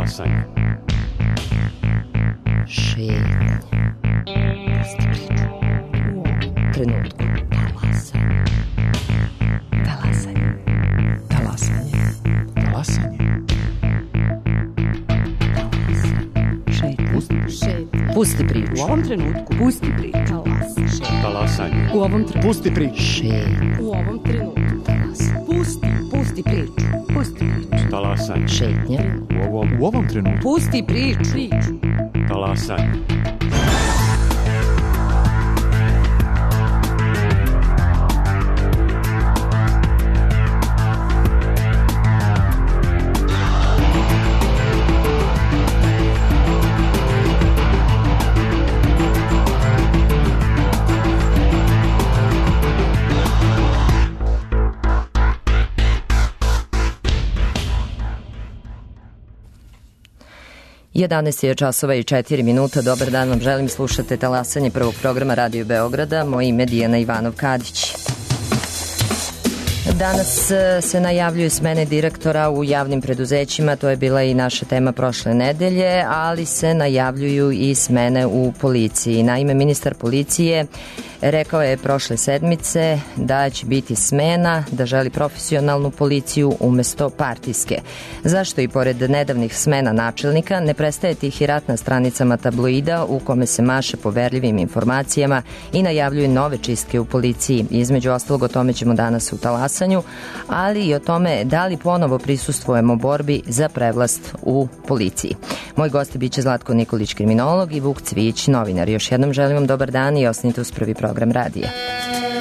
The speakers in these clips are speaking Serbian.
Talasanje. Šetnje. Pusti priču. U ovom trenutku. Talasanje. Talasanje. Talasanje. Talasanje. Pusti priču. U ovom trenutku. Pusti priču. Talasanje. U ovom trenutku. Pusti priču. Šetnje. U ovom trenutku. Pusti priču. Pusti priču. Talasanje. Šetnje. U ovom trenutku. Pusti priču. Talasanje. Jedanaest je časova i 4 minuta. Dobar dan vam želim, slušate Talasanje prvog programa Radio Beograda. Moje ime je Dijana Ivanov-Kadić. Danas se najavljuju smene direktora u javnim preduzećima, to je bila i naša tema prošle nedelje, ali se najavljuju i smene u policiji. Naime, ministar policije rekao je prošle sedmice da će biti smena, da želi profesionalnu policiju umesto partijske. Zašto i pored nedavnih smena načelnika ne prestaje tih i rat na stranicama tabloida u kome se maše poverljivim informacijama i najavljuju nove čistke u policiji. Između ostalog o tome ćemo danas u Talasanju, ali i o tome da li ponovo prisustvujemo borbi za prevlast u policiji. Moj gost biće Zlatko Nikolić, kriminolog, i Vuk Cvijić, novinar. Još jednom želim vam dobar dan i ostanite uz prvi program radija. 'Cause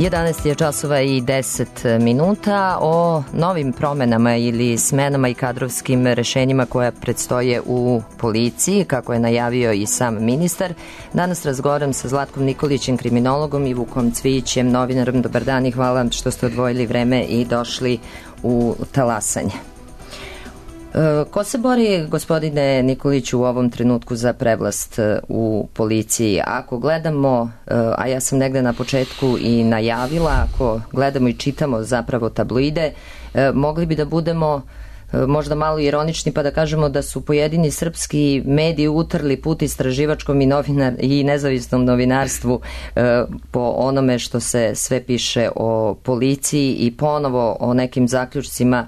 11 je časova i 10 minuta. O novim promenama ili smenama i kadrovskim rešenjima koja predstoje u policiji, kako je najavio i sam ministar. Danas razgovaram sa Zlatkom Nikolićem, kriminologom, i Vukom Cvijićem, novinarom. Dobar dan i hvala što ste odvojili vreme i došli u Talasanje. Ko se bori, gospodine Nikoliću, u ovom trenutku za prevlast u policiji? Ako gledamo, a ja sam negde na početku i najavila, ako gledamo i čitamo zapravo tabloide, mogli bi da budemo možda malo ironični pa da kažemo da su pojedini srpski mediji utrli put istraživačkom i nezavisnom novinarstvu po onome što se sve piše o policiji i ponovo o nekim zaključcima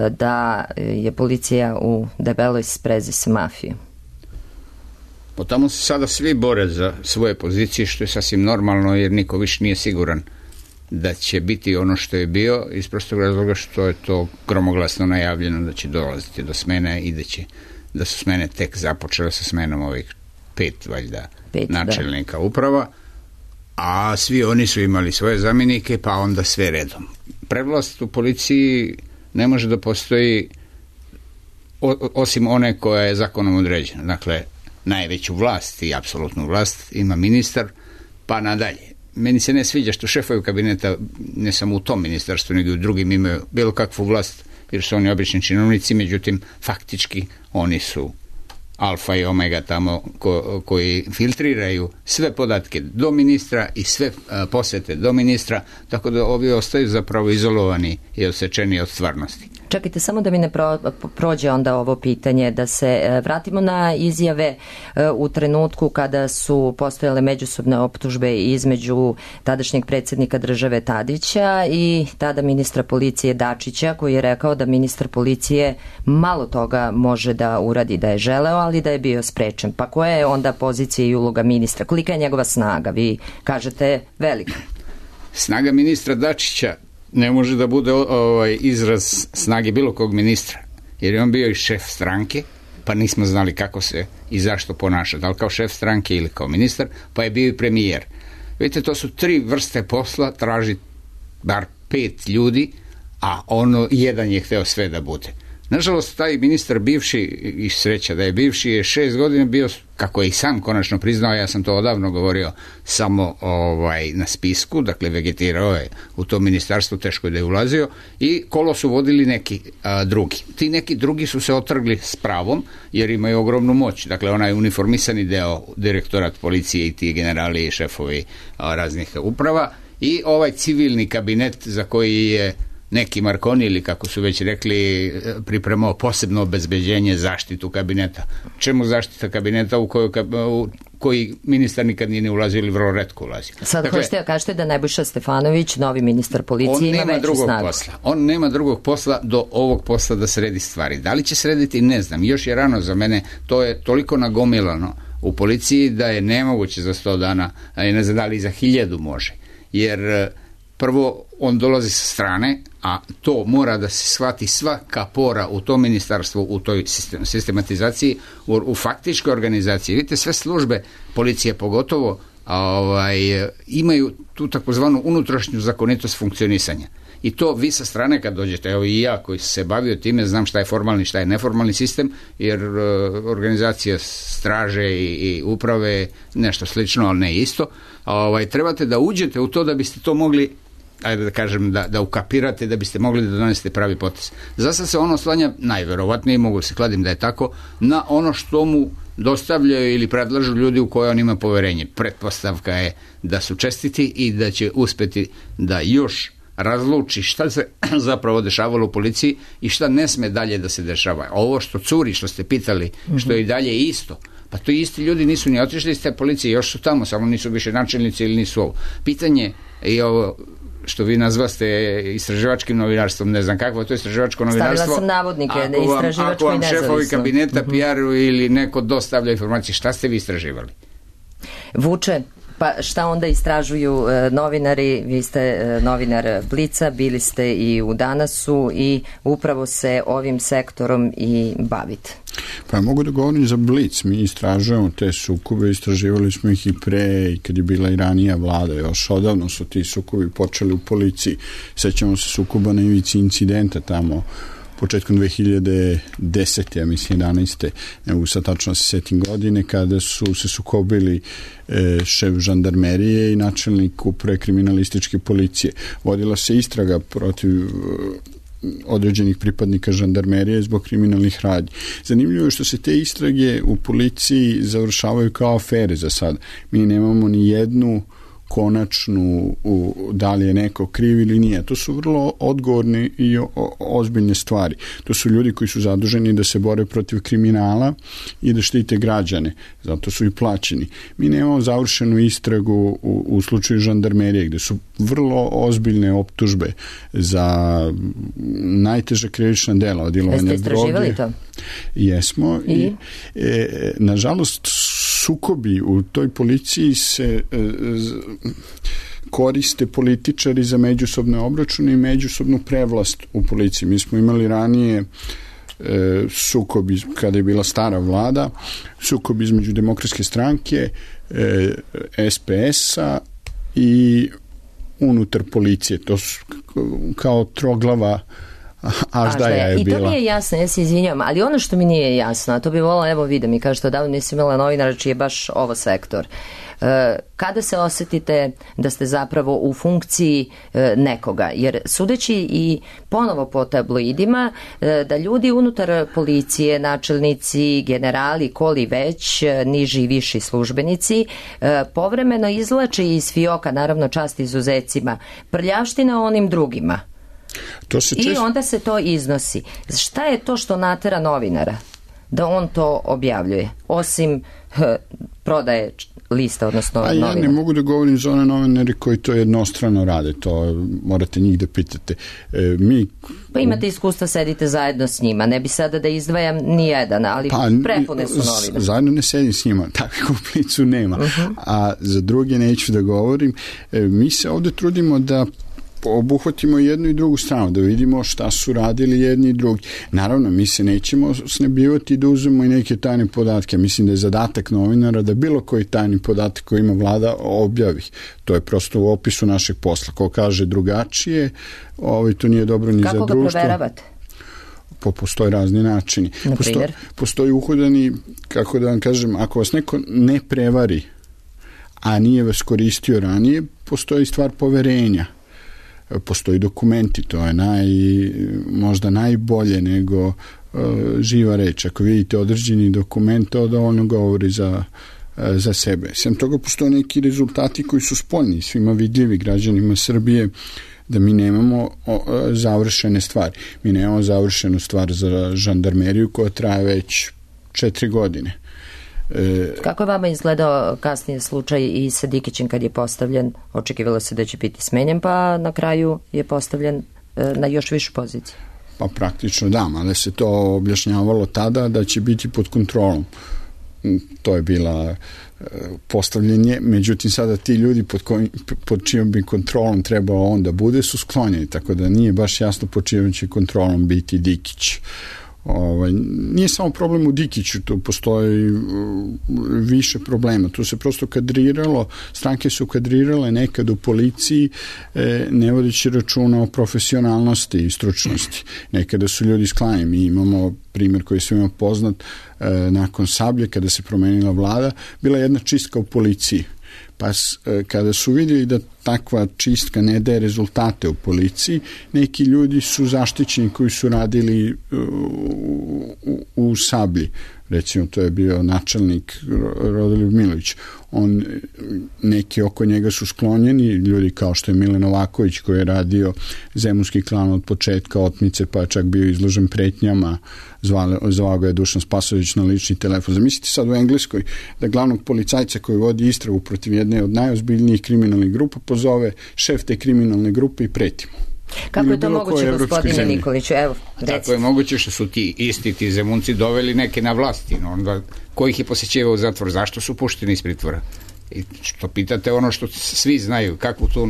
da je policija u debeloj sprezi sa mafijom. Po tamo se sada svi bore za svoje pozicije, što je sasvim normalno, jer niko više nije siguran da će biti ono što je bio, iz prostog razloga što je to gromoglasno najavljeno da će dolaziti do smene i da su smene tek započele sa smenom ovih pet načelnika uprava, a svi oni su imali svoje zamjenike, pa onda sve redom. Prevlast u policiji ne može da postoji osim one koja je zakonom određena. Dakle, najveću vlast i apsolutnu vlast ima ministar, pa nadalje. Meni se ne sviđa što šefovi kabineta, ne samo u tom ministarstvu, nego i u drugim, imaju bilo kakvu vlast, jer su oni obični činovnici, međutim, faktički oni su alfa i omega tamo koji filtriraju sve podatke do ministra i sve posete do ministra, tako da ovi ostaju zapravo izolovani i odsečeni od stvarnosti. Čekajte, samo da mi ne prođe onda ovo pitanje, da se vratimo na izjave u trenutku kada su postojale međusobne optužbe između tadašnjeg predsjednika države Tadića i tada ministra policije Dačića, koji je rekao da ministar policije malo toga može da uradi da je želeo, ali da je bio sprečen. Pa koja je onda pozicija i uloga ministra? Kolika je njegova snaga? Vi kažete velika. Snaga ministra Dačića ne može da bude izraz snage bilo kog ministra, jer je on bio i šef stranke, pa nismo znali kako se i zašto ponaša, da li kao šef stranke ili kao ministar, pa je bio i premijer. Vidite, to su 3 vrste posla, traži bar 5 ljudi, a jedan je hteo sve da bude. Nažalost, taj ministar bivši, i sreća da je bivši, je 6 godina bio, kako je i sam konačno priznao, ja sam to odavno govorio, samo na spisku, dakle vegetirao je u to ministarstvo, teško je da je ulazio, i kolo su vodili neki drugi. Ti neki drugi su se otrgli s pravom, jer imaju ogromnu moć. Dakle, onaj uniformisani deo, direktorat policije i ti generali i šefovi raznih uprava, i ovaj civilni kabinet za koji je neki Marconi, ili kako su već rekli, pripremao posebno obezbeđenje, zaštitu kabineta. Čemu zaštita kabineta u koji ministar nikad nije ulazio ili vrlo retko ulazio? Sad hoćete da kažete da Nebojša Stefanović, novi ministar policije, ima veću snagu. On nema drugog posla do ovog posla da sredi stvari. Da li će srediti, ne znam. Još je rano za mene, to je toliko nagomilano u policiji da je nemoguće za 100 dana, a ne znam da li za 1000 može. Jer prvo, on dolazi sa strane, a to mora da se shvati svaka pora u tom ministarstvu, u toj sistematizaciji, u faktičkoj organizaciji. Vidite, sve službe policije pogotovo imaju tu takozvanu unutrašnju zakonitost funkcionisanja. I to vi sa strane kad dođete, evo i ja koji se bavio time, znam šta je formalni, šta je neformalni sistem, jer organizacija straže i uprave nešto slično, ali ne isto. Trebate da uđete u to da biste to mogli, ajde da kažem, da ukapirate, da biste mogli da donesete pravi potez. Zasad se ono oslanja, najverovatnije, mogu se kladim da je tako, na ono što mu dostavljaju ili predlažu ljudi u koje on ima poverenje. Pretpostavka je da su čestiti i da će uspeti da još razluči šta se zapravo dešavalo u policiji i šta ne sme dalje da se dešava. Ovo što curi, što ste pitali, što je i dalje isto, pa to isti ljudi nisu ni otišli iz te policije, još su tamo, samo nisu više načelnici ili nisu ovo. Pitanje i ovo što vi nazvaste istraživačkim novinarstvom, ne znam kakvo je to istraživačko novinarstvo. Stavila sam navodnike, istraživačko i nezavisno. Ako vam šefovi kabineta PR-u ili neko dostavlja informacije, šta ste vi istraživali? Vuče, Pa šta onda istražuju novinari? Vi ste novinar Blica, bili ste i u Danasu i upravo se ovim sektorom i bavite. Pa mogu da govorim za Blic, mi istražujemo te sukobe, istraživali smo ih i pre i kad je bila i ranija vlada, još odavno su ti sukobi počeli u policiji. Sećamo se sukoba na ivici incidenta tamo početkom 2010. ja mislim 11. ne mogu sad tačno se setim godine, kada su se sukobili šef žandarmerije i načelnik uprave kriminalističke policije. Vodila se istraga protiv određenih pripadnika žandarmerije zbog kriminalnih radnji. Zanimljivo je što se te istrage u policiji završavaju kao afere za sad. Mi nemamo ni jednu konačnu da li je neko kriv ili nije. To su vrlo odgovorne i ozbiljne stvari. To su ljudi koji su zaduženi da se bore protiv kriminala i da štite građane. Zato su i plaćeni. Mi nemamo završenu istragu u slučaju žandarmerije, gde su vrlo ozbiljne optužbe za najteža krivična dela od dilovanja droge. Jeste istraživali to? Jesmo. I nažalost, sukobi u toj policiji se koriste političari za međusobne obračune i međusobnu prevlast u policiji. Mi smo imali ranije sukobi kada je bila stara vlada, sukob između Demokratske stranke, SPS-a i unutar policije. To su kao troglava Aždaja je bila. I to mi je jasno, ja se izvinjam, ali ono što mi nije jasno, a to bi volila, evo vi da mi kažete, odavno nisam imala novinara čiji je baš ovo sektor. Kada se osetite da ste zapravo u funkciji nekoga? Jer sudeći i ponovo po tabloidima, da ljudi unutar policije, načelnici, generali, koli već, niži i viši službenici, povremeno izvlače iz fioka, naravno čast izuzecima, prljavština onim drugima. I onda se to iznosi. Šta je to što natera novinara da on to objavljuje? Osim prodaje lista, odnosno novina. Ja ne mogu da govorim za one novinare koji to jednostrano rade. To morate njih da pitate. Pa imate iskustva, sedite zajedno s njima. Ne bi sada da izdvajam ni jedan, ali prepune su novine. Zajedno ne sedim s njima. Takve komplicu nema. A za druge neću da govorim. Mi se ovde trudimo da obuhvatimo jednu i drugu stranu, da vidimo šta su radili jedni i drugi. Naravno, mi se nećemo snebivati da uzmemo i neke tajne podatke. Mislim da je zadatak novinara da bilo koji tajni podatak koji ima vlada objavi. To je prosto u opisu našeg posla. Ko kaže drugačije, to nije dobro ni za društvo. Kako ga proveravate? Postoje razni načini. Postoji uhodani, kako da vam kažem, ako vas neko ne prevari, a nije vas koristio ranije, postoji stvar poverenja. Postoji dokumenti, to je možda najbolje nego živa reč. Ako vidite određeni dokument, to dovoljno govori za sebe. Sem toga postoje neki rezultati koji su spoljni, svima vidljivi građanima Srbije, da mi nemamo završene stvari. Mi nemamo završenu stvar za žandarmeriju koja traje već 4 godine. Kako je vama izgledao kasnije slučaj i sa Dikićem kad je postavljen? Očekivalo se da će biti smenjen, pa na kraju je postavljen na još višu poziciju. Pa praktično da, ali se to objašnjavalo tada da će biti pod kontrolom. To je bila postavljenje, međutim sada ti ljudi pod čijom bi kontrolom trebao on da bude su sklonjeni, tako da nije baš jasno pod čijom će kontrolom biti Dikić. Nije samo problem u Dikiću, tu postoji više problema. Tu se prosto kadriralo, stranke su kadrirale nekad u policiji ne vodeći računa o profesionalnosti i stručnosti. Nekada su ljudi sklanjeni. Mi imamo primjer koji je svima poznat, nakon Sablje, kada se promenila vlada, bila jedna čistka u policiji. Pa kada su vidjeli da takva čistka ne daje rezultate u policiji, neki ljudi su zaštićeni koji su radili u Sablji. Recimo, to je bio načelnik Rodoljub Milović. Neki oko njega su sklonjeni, ljudi kao što je Milan Novaković koji je radio Zemunski klan od početka otmice, pa je čak bio izložen pretnjama, zvao ga je Dušan Spasović na lični telefon. Zamislite sad u Engleskoj da glavnog policajca koji vodi istragu protiv jedne od najozbiljnijih kriminalnih grupa pozove šef te kriminalne grupe i preti mu. Kako je to moguće, gospodine Nikoliću? Evo, tako je moguće što su ti Zemunci doveli neke na vlasti, onda ko ih je posjećivao u zatvor, zašto su pušteni iz pritvora? I što pitate ono što svi znaju, kako tu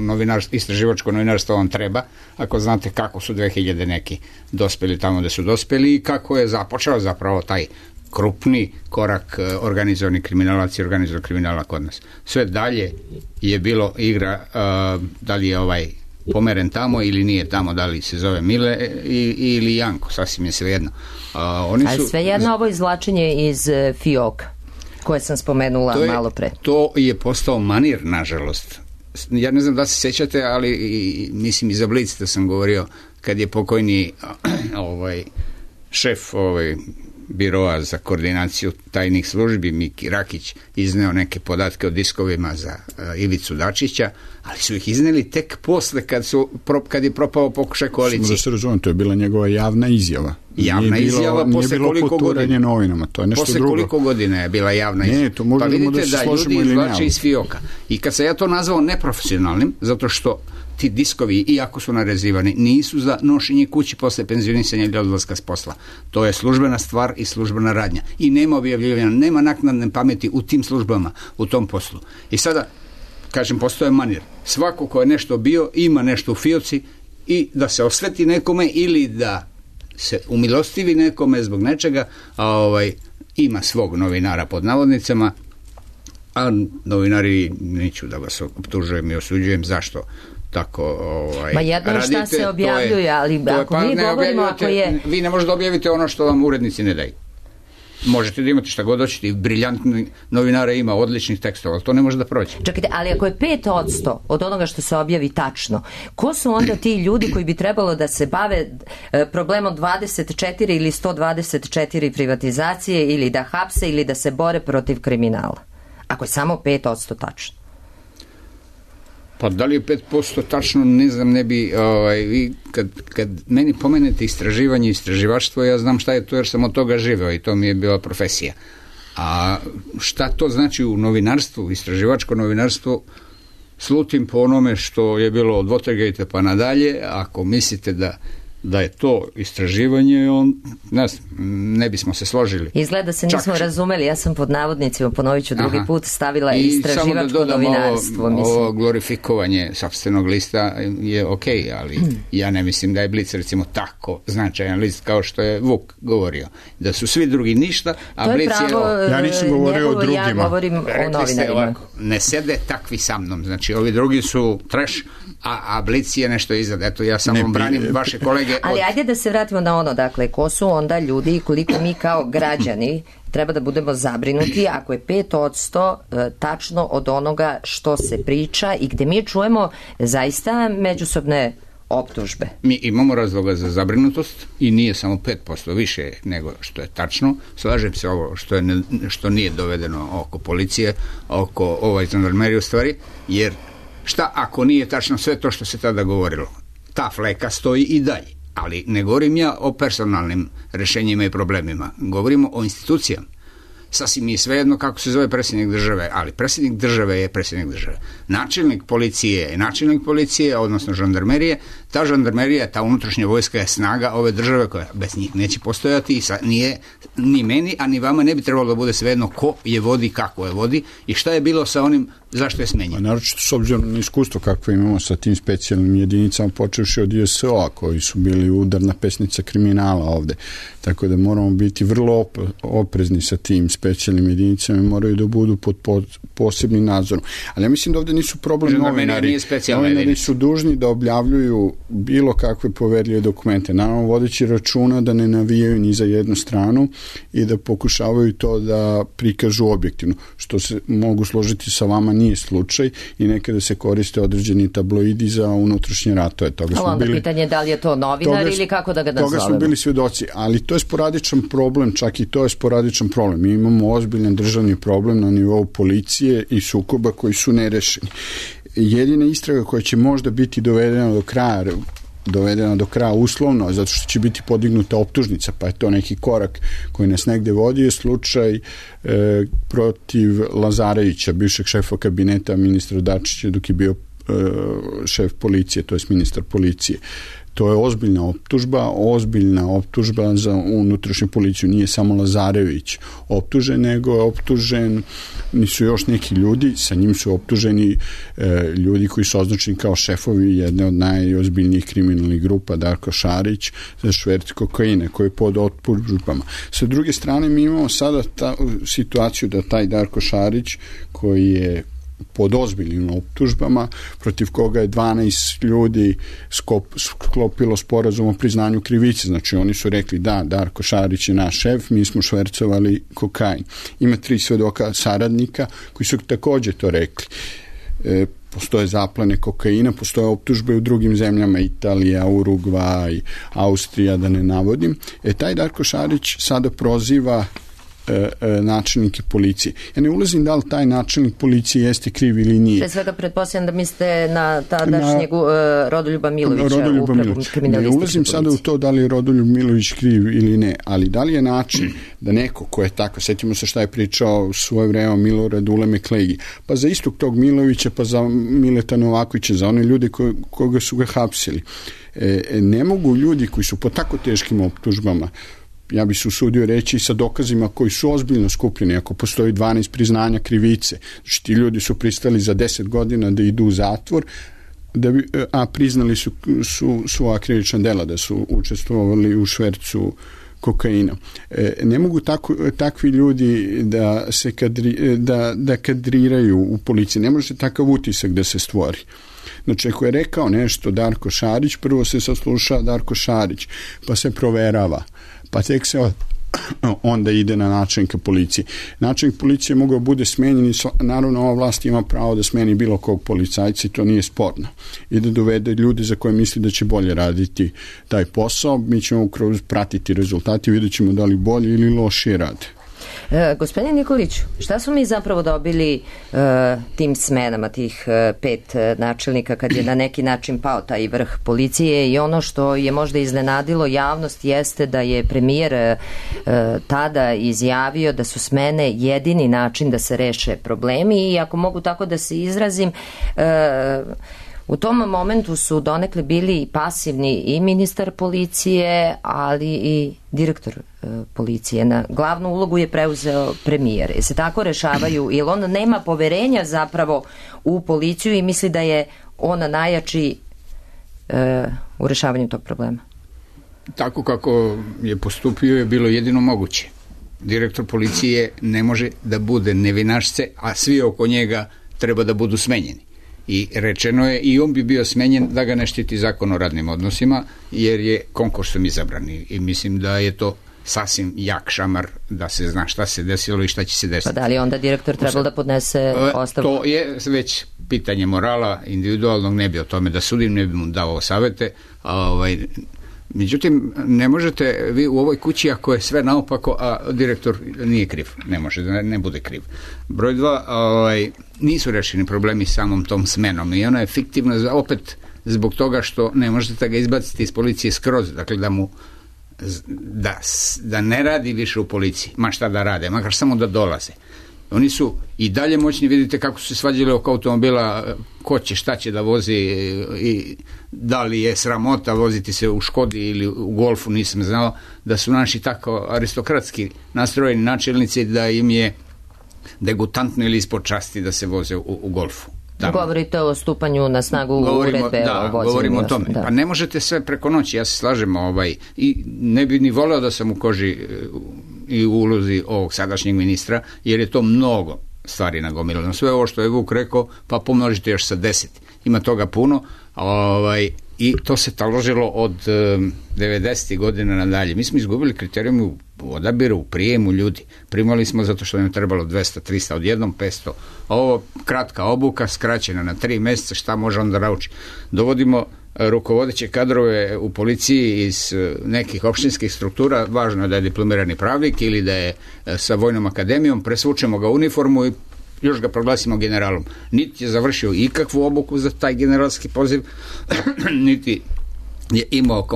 istraživačko novinarstvo vam treba, ako znate kako su 2000 neki dospeli tamo da su dospeli i kako je započeo zapravo taj krupni korak organizovani kriminalac i organizovanog kriminala kod nas. Sve dalje je bilo igra, da li je pomeren tamo ili nije tamo, da li se zove Mile ili Janko, sasvim je svejedno. Ali svejedno ovo izvlačenje iz fioka koje sam spomenula malo pre. To je postao manir, nažalost. Ja ne znam da se sjećate, ali mislim iza Blic da sam govorio kad je pokojni šef biroa za koordinaciju tajnih službi Miki Rakić izneo neke podatke o diskovima za Ivicu Dačića, ali su ih izneli tek posle kad je propao pokušaj koalicije. Da se razumem, to je bila njegova javna izjava. Javna izjava posle koliko godina? Novinama, to je nešto posle drugo. Koliko godina je bila javna izjava? To možda pa vidite da ljudi izvlače iz fioka. I kad se ja to nazvao neprofesionalnim, zato što ti diskovi, iako su narezivani, nisu za nošenje kući posle penzionisanja ili odlaska s posla. To je službena stvar i službena radnja. I nema objavljivanja, nema naknadne pameti u tim službama, u tom poslu. I sada, kažem, postoje manir. Svako ko je nešto bio, ima nešto u fioci i da se osveti nekome ili da se umilostivi nekome zbog nečega, ima svog novinara pod navodnicama, a novinari, neću da vas optužujem i osuđujem, zašto tako Ma jedno radite, šta se objavljuje, ali ako mi govorimo, ako je... Vi ne možete objaviti ono što vam urednici ne daju. Možete da imate šta god hoćete, i briljantni novinara ima odličnih tekstova, ali to ne može da prođe. Čekajte, ali ako je 5% od onoga što se objavi tačno, ko su onda ti ljudi koji bi trebalo da se bave problemom 24 ili 124 privatizacije ili da hapse ili da se bore protiv kriminala? Ako je samo 5% tačno. Pa da li je 5% tačno, ne znam, ne bi, vi kad meni pomenete istraživanje i istraživaštvo, ja znam šta je to jer sam od toga živeo i to mi je bila profesija. A šta to znači u novinarstvu, istraživačko novinarstvo, slutim po onome što je bilo od Watergate pa nadalje. Ako mislite da je to istraživanje, ne bismo se složili. Izgleda se nismo razumeli, ja sam pod navodnicima, ponovit ću drugi put, stavila istraživačko novinarstvo. Ovo glorifikovanje sopstvenog lista je okej, ali ja ne mislim da je Blic recimo tako značajan list kao što je Vuk govorio. Da su svi drugi ništa, a Blic je... Ja nisam govorio o drugima. Ja govorim o novinarima. Ne sede takvi sa mnom, znači ovi drugi su trash, a Blic je nešto iznad. Eto, ja samo branim vaše kolege. Ali ajde da se vratimo na ono, dakle, ko su onda ljudi i koliko mi kao građani treba da budemo zabrinuti ako je 5% tačno od onoga što se priča i gde mi čujemo zaista međusobne optužbe. Mi imamo razloga za zabrinutost i nije samo 5%, više nego što je tačno. Slažem se ovo što nije dovedeno oko policije, oko žandarmerije u stvari, jer šta ako nije tačno sve to što se tada govorilo? Ta fleka stoji i dalje. Ali ne govorim ja o personalnim rešenjima i problemima. Govorimo o institucijama. Sasvim je svejedno kako se zove predsjednik države, ali predsjednik države je predsjednik države. Načelnik policije je načelnik policije, odnosno žandarmerije. Ta žandarmerija, ta unutrašnja vojska je snaga ove države koja bez njih neće postojati i nije ni meni, a ni vama ne bi trebalo da bude svejedno ko je vodi, kako je vodi i šta je bilo sa onim zašto je smenjen. Naročito s obzirom na iskustvo kakvo imamo sa tim specijalnim jedinicama, počevši od ISO-a koji su bili udarna pesnica kriminala ovde. Tako da moramo biti vrlo oprezni sa tim specijalnim jedinicama i moraju da budu pod posebnim nadzorom. Ali ja mislim da ovde nisu problem novinari. Novinari su dužni da objavljuju bilo kakve poverljive dokumente. Naravno, vodeći računa da ne navijaju ni za jednu stranu i da pokušavaju to da prikažu objektivno. Što se mogu složiti sa vama nije slučaj i nekada se koriste određeni tabloidi za unutrašnje ratove. Ali onda pitanje je da li je to novinar ili kako da ga nazovemo. Toga smo bili svedoci, ali to je sporadičan problem, čak i to je sporadičan problem. Mi imamo ozbiljan državni problem na nivou policije i sukoba koji su nerešeni. Jedina istraga koja će možda biti dovedena do kraja uslovno, zato što će biti podignuta optužnica, pa je to neki korak koji nas negde vodi, je slučaj protiv Lazarevića, bivšeg šefa kabineta ministra Dačića dok je bio šef policije, to je ministar policije. To je ozbiljna optužba za unutrašnju policiju. Nije samo Lazarević optužen, nego je optužen, nisu još neki ljudi, sa njim su optuženi ljudi koji su označeni kao šefovi jedne od najozbiljnijih kriminalnih grupa, Darko Šarić, za šverc kokaina, koji je pod optužbama. Sa druge strane, mi imamo sada situaciju da taj Darko Šarić, koji je pod ozbiljnim optužbama, protiv koga je 12 ljudi sklopilo sporazum o priznanju krivice. Znači, oni su rekli da, Darko Šarić je naš šef, mi smo švercovali kokain. Ima 3 svedoka saradnika koji su također to rekli. Postoje zaplene kokaina, postoje optužbe u drugim zemljama, Italija, Urugvaj, Austrija, da ne navodim. Taj Darko Šarić sada proziva načelnike policije. Ja ne ulazim da li taj načelnik policije jeste kriv ili nije. Pre svega pretpostavljam da mislite na tadašnjeg Rodoljuba Milovića u kriminalističkoj Ne ulazim sada u to da li je Rodoljub Milović kriv ili ne, ali da li je način da neko ko je tako, setimo se šta je pričao svoje vreme Milorad Uleme Klegi, pa za istog tog Milovića, pa za Mileta Novakovića, za one ljude koga su ga hapsili. Ne mogu ljudi koji su po tako teškim optužbama, ja bih se usudio reći, sa dokazima koji su ozbiljno skupljeni, ako postoji 12 priznanja krivice, znači ti ljudi su pristali za 10 godina da idu u zatvor, a priznali su svoja krivična dela, da su učestvovali u švercu kokaina. Ne mogu takvi ljudi da se kadriraju u policiji, ne može takav utisak da se stvori. Znači, ako je rekao nešto Darko Šarić, prvo se sasluša Darko Šarić, pa se proverava, pa tek se onda ide na načelnika policije. Načelnik policije mogao bude smenjen i naravno ova vlast ima pravo da smeni bilo kog policajca i to nije sporno. I da dovede ljude za koje misli da će bolje raditi taj posao. Mi ćemo kroz pratiti rezultati i vidjet ćemo da li bolje ili lošije rade. Gospodine Nikoliću, šta smo mi zapravo dobili tim smenama, tih 5 načelnika kad je na neki način pao taj vrh policije, i ono što je možda iznenadilo javnost jeste da je premijer tada izjavio da su smene jedini način da se reše problemi, i ako mogu tako da se izrazim, u tom momentu su donekle bili i pasivni i ministar policije, ali i direktor policije. Na glavnu ulogu je preuzeo premijer. Se tako rešavaju, jer on nema poverenja zapravo u policiju i misli da je on najjači u rešavanju tog problema. Tako kako je postupio je bilo jedino moguće. Direktor policije ne može da bude nevinašce, a svi oko njega treba da budu smenjeni. I rečeno je i on bi bio smenjen da ga ne štiti zakon o radnim odnosima, jer je konkursom izabran, i mislim da je to sasvim jak šamar da se zna šta se desilo i šta će se desiti. Pa da li onda direktor trebalo da podnese ostavku? To je već pitanje morala individualnog, ne bi o tome da sudim, ne bi mu dao savete. Međutim, ne možete vi u ovoj kući, ako je sve naopako, a direktor nije kriv, ne može da ne bude kriv. Broj 2, nisu rešeni problemi samom tom smenom i ona je fiktivna opet zbog toga što ne možete ga izbaciti iz policije skroz, dakle da ne radi više u policiji, ma šta da rade, makar samo da dolaze. Oni su i dalje moćni, vidite kako su se svađali oko automobila, ko će, šta će da vozi i da li je sramota voziti se u Škodi ili u Golfu, nisam znao da su naši tako aristokratski nastrojeni načelnici da im je degutantno ili ispod časti da se voze u Golfu. Tamo. Govorite o stupanju na snagu uredbe o vozenju. Govorimo o tome. Da. Pa ne možete sve preko noći, ja se slažem, i ne bi ni voleo da sam u koži i u ulozi ovog sadašnjeg ministra, jer je to mnogo stvari nagomilano. Sve ovo što je Vuk rekao, pa pomnožite još sa 10. Ima toga puno, i to se taložilo od 90. godina nadalje. Mi smo izgubili kriterijum u odabiru, u prijemu ljudi. Primali smo zato što nam je trebalo 200, 300, odjednom 500. Ovo kratka obuka, skraćena na 3 mjeseca, šta može onda nauči? Dovodimo rukovodeće kadrove u policiji iz nekih opštinskih struktura, važno je da je diplomirani pravnik ili da je sa vojnom akademijom, presvučemo ga u uniformu i još ga proglasimo generalom. Niti je završio ikakvu obuku za taj generalski poziv, niti je imao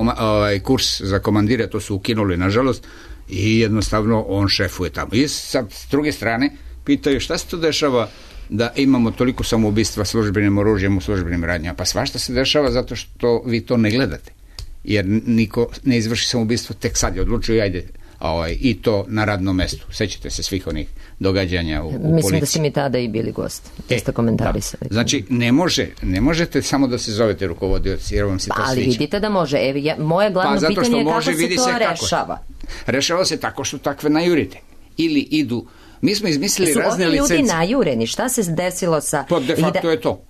kurs za komandire, to su ukinuli nažalost, i jednostavno on šefuje tamo. I sad, s druge strane, pitaju šta se to dešava da imamo toliko samoubistva službenim oružjem u službenim radnjama. Pa svašta se dešava zato što vi to ne gledate. jer niko ne izvrši samoubistvo, tek sad je odlučio, ajde, i to na radnom mestu. Sećate se svih onih događanja u policiji. Mislim da ste mi tada i bili gost. Ste komentarisali. Da. Znači, ne možete samo da se zovete rukovodioci, jer vam se to sviđa. Ali vidite da može. Moje glavno pitanje je kako se to rešava. Rešava se tako što takve najurite. Ili idu. Mi smo izmislili razne licence. Su ovi ljudi najureni? Šta se desilo sa... Pa de facto je to.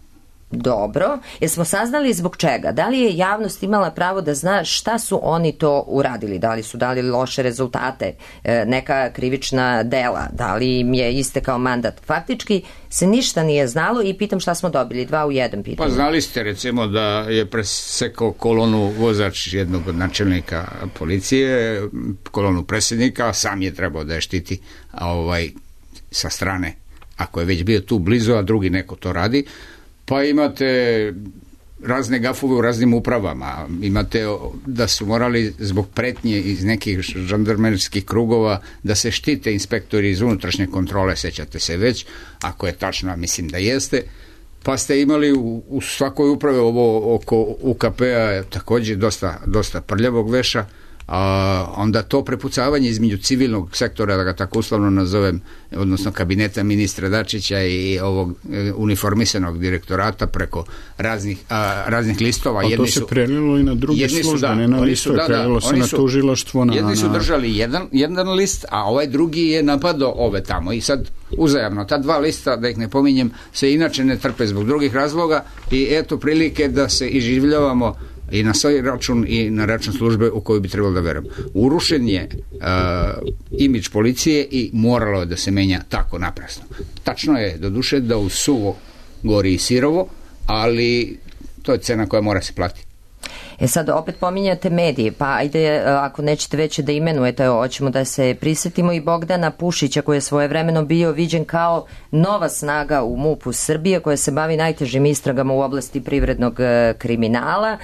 Dobro, jer smo saznali zbog čega. Da li je javnost imala pravo da zna šta su oni to uradili? Da li su dali loše rezultate, neka krivična dela, da li im je istekao mandat? Faktički se ništa nije znalo i pitam šta smo dobili, 2 u 1 pitanje. Pa znali ste recimo da je presekao kolonu vozač jednog od načelnika policije, kolonu predsjednika, sam je trebao da je štiti sa strane, ako je već bio tu blizu, a drugi neko to radi. Pa imate razne gafove u raznim upravama, imate da su morali zbog pretnje iz nekih žandarmerskih krugova da se štite inspektori iz unutrašnje kontrole, sećate se već, ako je tačno, mislim da jeste, pa ste imali u svakoj upravi ovo oko UKP-a također dosta prljavog veša, a onda to prepucavanje između civilnog sektora, da ga tako uslovno nazovem, odnosno kabineta ministra Dačića i ovog uniformisanog direktorata preko raznih listova. A to se prelilo i na druge službe, ne na listu, prelilo se na tužilaštvo. Jedni su držali jedan list, a ovaj drugi je napadao ove tamo i sad uzajamno, ta 2 lista, da ih ne pominjem, se inače ne trpe zbog drugih razloga i eto prilike da se iživljavamo i na svoj račun i na račun službe u koju bi trebalo da verujem. Urušen je imidž policije i moralo je da se menja tako naprasno. Tačno je, doduše, da u suvo gori i sirovo, ali to je cena koja mora se platiti. Sad opet pominjate medije, pa ajde, ako nećete već da imenujete, hoćemo da se prisjetimo i Bogdana Pušića, koji je svojevremeno bio viđen kao nova snaga u MUP-u Srbije, koja se bavi najtežim istragama u oblasti privrednog kriminala.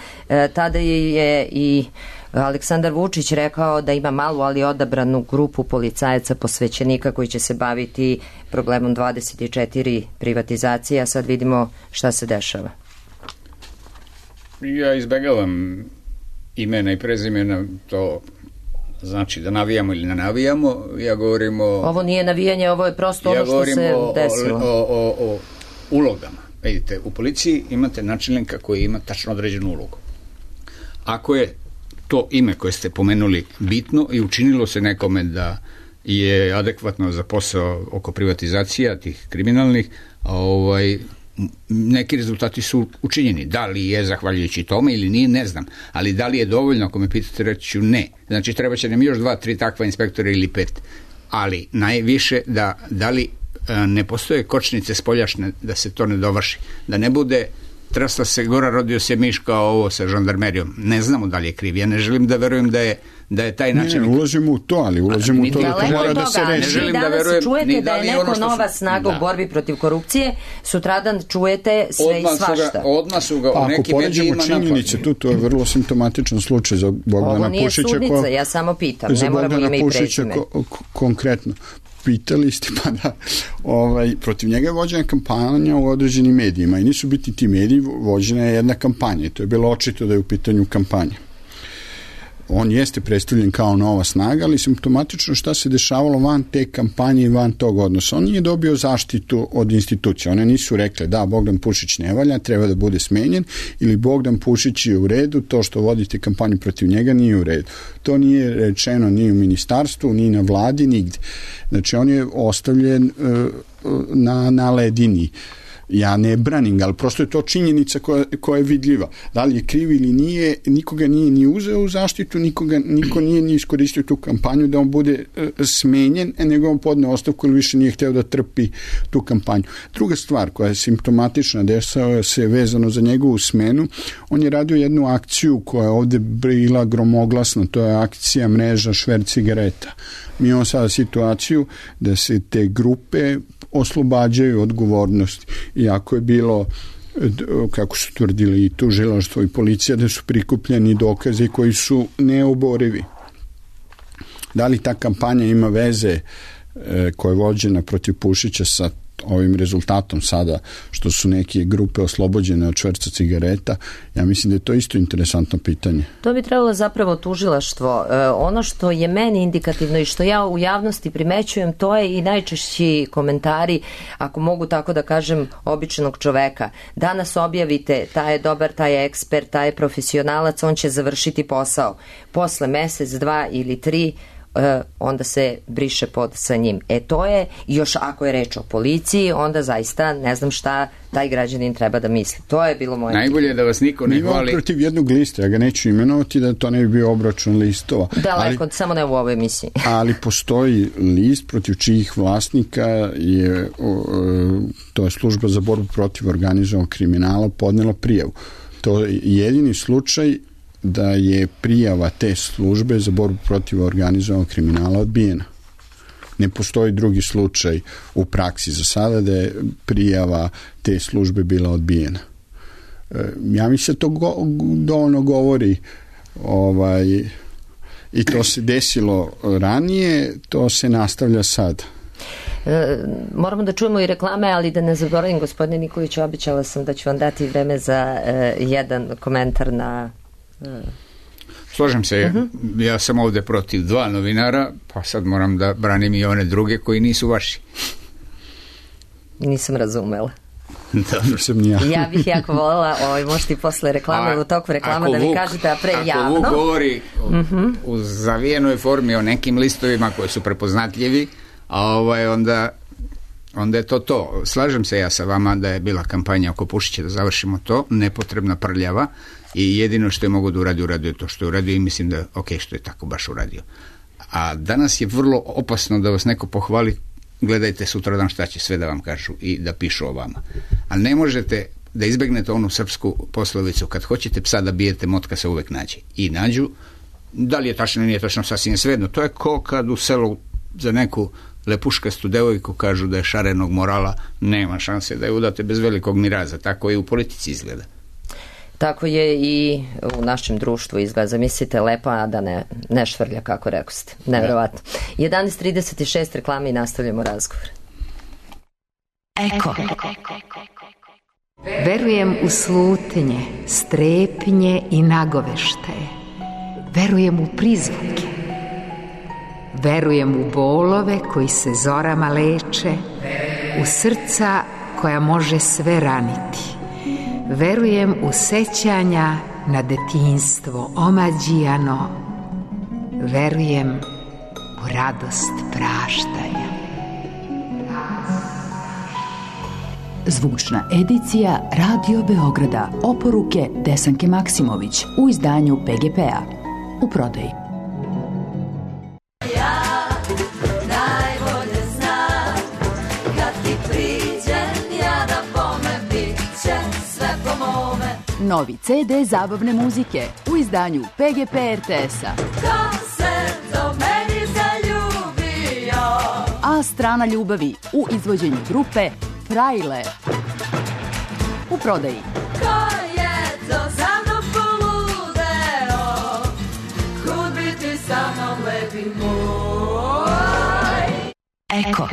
Tada je i Aleksandar Vučić rekao da ima malu, ali odabranu grupu policajaca posvećenika koji će se baviti problemom 24 privatizacije, a sad vidimo šta se dešava. Ja izbegavam imena i prezimena, to znači da navijamo ili ne navijamo. Ja govorim o... Ovo nije navijanje, ovo je prosto ono što se desilo. O ulogama. Vidite, u policiji imate načelnika koji ima tačno određenu ulogu. Ako je to ime koje ste pomenuli bitno i učinilo se nekome da je adekvatno za posao oko privatizacija tih kriminalnih, neki rezultati su učinjeni. Da li je zahvaljujući tome ili nije, ne znam. Ali da li je dovoljno, ako me pitate, reći ću ne. Znači, treba će nam još 2-3 takva inspektora ili 5. Ali najviše da li ne postoje kočnice spoljašne da se to ne dovrši. Da ne bude trasla se gora, rodio se miš kao ovo sa žandarmerijom. Ne znamo da li je kriv. Ja ne želim da verujem da je taj način... Ne, ulazimo u to, ali ulazimo u to da to mora da se reši. Ne želim da verujem... Čujete da je neko nova snaga u borbi protiv korupcije, sutradan čujete sve i svašta. Odmah su ga u nekim medijima napadli. Ako poređemo činjenice, to je vrlo simptomatičan slučaj za Bogdana Pušića. Ovo nije sudnica, ja samo pitam, ne moramo ime i prezime. Konkretno. Pitali ste, pa da, protiv njega je vođena kampanja u određenim medijima i nisu biti ti mediji, vođena je jedna kampanja i to je bilo očito da je u pitanju kampanja. On jeste predstavljen kao nova snaga, ali simptomatično šta se dešavalo van te kampanje i van tog odnosa. On nije dobio zaštitu od institucija. One nisu rekle da Bogdan Pušić ne valja, treba da bude smenjen, ili Bogdan Pušić je u redu, to što vodite kampanju protiv njega nije u redu. To nije rečeno ni u ministarstvu, ni na vladi, nigde. Znači on je ostavljen na ledini. Ja ne branim, ali prosto je to činjenica koja je vidljiva. Da li je kriv ili nije, nikoga nije ni uzeo u zaštitu, niko nije ni iskoristio tu kampanju da on bude smenjen, nego on podne ostavku ili više nije hteo da trpi tu kampanju. Druga stvar koja je simptomatična, dešava se vezano za njegovu smenu, on je radio jednu akciju koja je ovde bila gromoglasna, to je akcija mreža šverc cigareta. Mi imamo sada situaciju da se te grupe oslobađaju odgovornosti. Iako je bilo, kako su tvrdili i tužilaštvo i policija, da su prikupljeni dokazi koji su neoborivi. Da li ta kampanja ima veze koja je vođena protiv Pušića sa ovim rezultatom sada, što su neke grupe oslobođene od šverca cigareta, ja mislim da je to isto interesantno pitanje. To bi trebalo zapravo tužilaštvo. Ono što je meni indikativno i što ja u javnosti primećujem, to je i najčešći komentari, ako mogu tako da kažem, običnog čoveka. Danas objavite, taj je dobar, taj je ekspert, taj je profesionalac, on će završiti posao. Posle mesec, 2 ili 3, onda se briše pod sa njim. To je, još ako je reč o policiji, onda zaista ne znam šta taj građanin treba da misli. To je bilo moje... Najbolje je da vas niko ne hvali. Protiv jednog lista, ja ga neću imenovati da to ne bi bio obračun listova. Daleko, samo ne u ovoj emisiji. Ali postoji list protiv čijih vlasnika je, to je služba za borbu protiv organizovanog kriminala, podnela prijavu. To je jedini slučaj da je prijava te službe za borbu protiv organizovanog kriminala odbijena. Ne postoji drugi slučaj u praksi za sada da je prijava te službe bila odbijena. Ja mislim da to dovoljno govori i to se desilo ranije, to se nastavlja sad. Moramo da čujemo i reklame, ali da ne zaboravim, gospodine Nikolić, obećala sam da ću vam dati vreme za jedan komentar na... Slažem se, ja sam ovde protiv 2 novinara, pa sad moram da branim i one druge koji nisu vaši. Nisam razumela. Dobro sam ja. Ja bih jako voljela, možete i posle reklame, u toku reklama da mi kažete, a pre javno. Ako Vuk govori u zavijenoj formi o nekim listovima koji su prepoznatljivi, onda je to. Slažem se ja sa vama da je bila kampanja oko Pušića, da završimo to, nepotrebna prljava, i jedino što je mogo da uradio to što je uradio i mislim da što je tako baš uradio. A danas je vrlo opasno da vas neko pohvali, gledajte sutradan šta će sve da vam kažu i da pišu o vama. Ali ne možete da izbegnete onu srpsku poslovicu, kad hoćete psa da bijete, motka se uvek nađe. I nađu, da li je tačno ili nije tačno, sasvim je svejedno. To je ko kad u selu za neku lepuškastu devojku kažu da je šarenog morala, nema šanse da je udate bez velikog miraza. Tako i u politici izgleda. Tako je i u našem društvu izgleda. Zamislite, lepa, a da ne švrlja, kako rekoste. Nevjerovatno. 11:36 reklame i nastavljamo razgovor. Eko. Verujem u slutnje, strepnje i nagoveštaje. Verujem u prizvuke. Verujem u bolove koji se zorama leče, u srca koja može sve raniti. Verujem u sećanja na detinjstvo omađijano. Verujem u radost praštanja. Zvučna edicija Radio Beograda. Oporuke Desanke Maksimović u izdanju PGP-a. U prodaji. Novi CD zabavne muzike u izdanju PGP RTS-a. Ko se do meni zaljubio? A strana ljubavi u izvođenju grupe Frajle. U prodaji. Ko je to za mnom poludeo? Kud bi ti sa mnom lepi moj? Eko.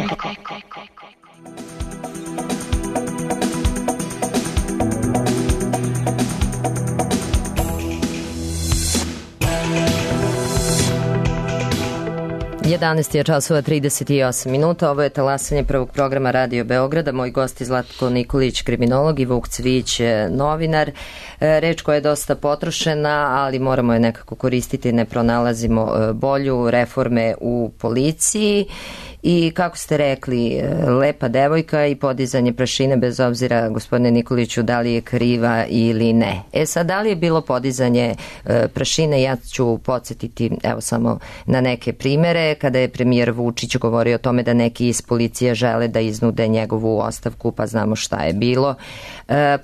Je časova 38 minuta. Ovo je talasanje prvog programa Radio Beograda. Moj gost je Zlatko Nikolić, kriminolog, i Vuk Cvijić, novinar. Reč koja je dosta potrošena, ali moramo je nekako koristiti, ne pronalazimo bolju, reforme u policiji. I kako ste rekli, lepa devojka i podizanje prašine, bez obzira, gospodine Nikoliću, da li je kriva ili ne. Sad, da li je bilo podizanje prašine? Ja ću podsjetiti evo samo na neke primere. Kada je premijer Vučić govorio o tome da neki iz policije žele da iznude njegovu ostavku, pa znamo šta je bilo.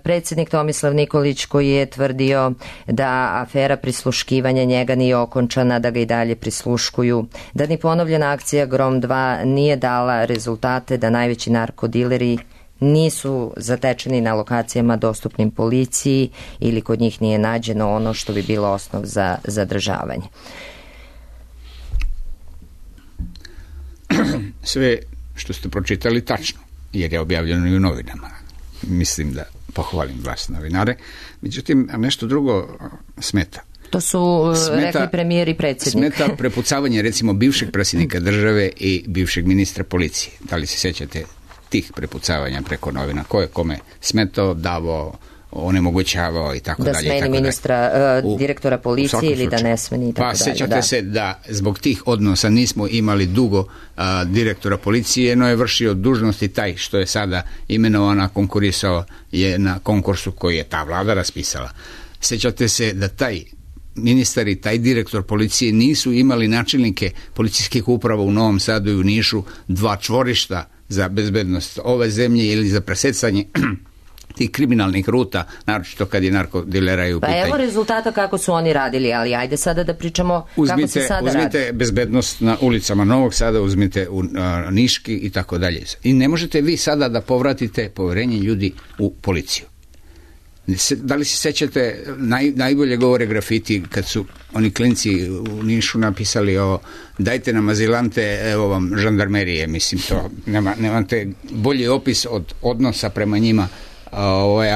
Predsjednik Tomislav Nikolić, koji je tvrdio da afera prisluškivanja njega nije okončana, da ga i dalje prisluškuju, da ni ponovljena akcija Grom 2 nije dala rezultate, da najveći narkodileri nisu zatečeni na lokacijama dostupnim policiji ili kod njih nije nađeno ono što bi bilo osnov za zadržavanje. Sve što ste pročitali tačno. jer je objavljeno i u novinama. Mislim da pohvalim vas novinare. Međutim, nešto drugo smeta. To su rekli premijer i predsjednik. Smeta prepucavanje recimo bivšeg predsjednika države i bivšeg ministra policije. Da li se sjećate tih prepucavanja preko novina? Ko je kome smetao, davao, onemogućavao i tako dalje. Da smeni ministra, direktora policije ili da ne smeni i tako dalje. Pa sjećate se da zbog tih odnosa nismo imali dugo direktora policije, no je vršio dužnosti taj što je sada imenovan, a konkurisao je na konkursu koji je ta vlada raspisala. Sjećate se da taj ministar i taj direktor policije nisu imali načelnike policijskih uprava u Novom Sadu i u Nišu, 2 čvorišta za bezbednost ove zemlje ili za presecanje tih kriminalnih ruta, naročito kad je narkodilera u pitanju. Pa evo rezultata kako su oni radili, ali ajde sada da pričamo kako se sada radi. Uzmite bezbednost na ulicama Novog Sada, uzmite u Niški i tako dalje. I ne možete vi sada da povratite poverenje ljudi u policiju. Da li se sećate, najbolje govore grafiti kad su oni klinci u Nišu napisali ovo, dajte nam azilante, evo vam žandarmerije, mislim to, nemate bolji opis od odnosa prema njima,